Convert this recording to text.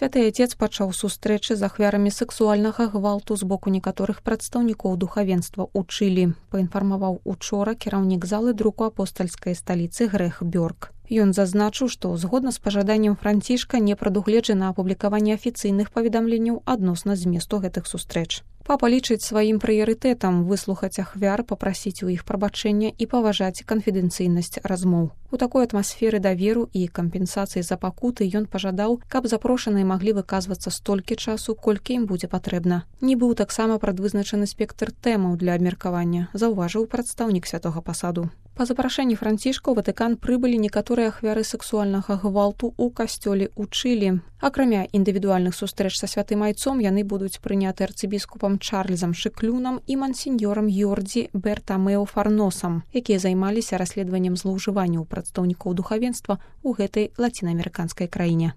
Святы Отец пачаў сустрэчы з ахвярамі сексуальнага гвалту з боку некаторых прадстаўнікоў духавенства ў Чылі, паінфармаваў учора кіраўнік залы друку апостальскай сталіцы Грэх Бёрк. Ён зазначыў, што згодна з пажаданнем Францішка не прадугледжана апублікаванне афіцыйных паведамленняў адносна зместу гэтых сустрэч. Папа лічыць сваім прыярытэтам выслухаць ахвяр, папрасіць у іх прабачэння і паважаць канфідэнцыйнасць размоў. У такой атмасферы даверу і кампенсацыі за пакуты ён пажадаў, каб запрошаныя маглі выказвацца столькі часу, колькі ім будзе патрэбна. Не быў таксама прадвызначаны спектр тэмаў для абмеркавання, заўважыў прадстаўнік святога пасаду. Па запрашэнні Францішка ў Ватыкан прыбылі некаторыя ахвяры сексуальнага гвалту ў касцёле ў Чылі. Акрамя індывідуальных сустрэч са святым айцом яны будуць прыняты арцыбіскупам Чарльзам Шыклюнам і мансіньёрам Йордзі Бертамео Фарносам, якія займаліся расследаваннем злоўжыванняў прадстаўнікоў духавенства ў гэтай лацінаамерыканскай краіне.